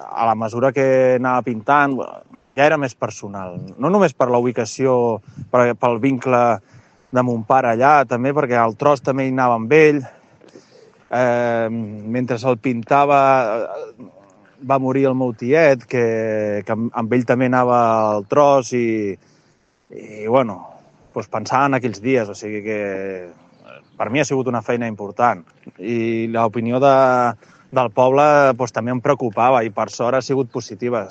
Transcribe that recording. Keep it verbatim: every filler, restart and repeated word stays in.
a la mesura que anava pintant, ja era més personal. No només per la ubicació, pel vincle de mon pare allà, també perquè el tros també hi anava amb ell. Eh, mentre el pintava va morir el meu tiet, que, que amb ell també anava al tros i, i bueno, doncs pensava en aquells dies, o sigui que per mi ha sigut una feina important. I l'opinió de, del poble doncs, també em preocupava i per sort ha sigut positiva.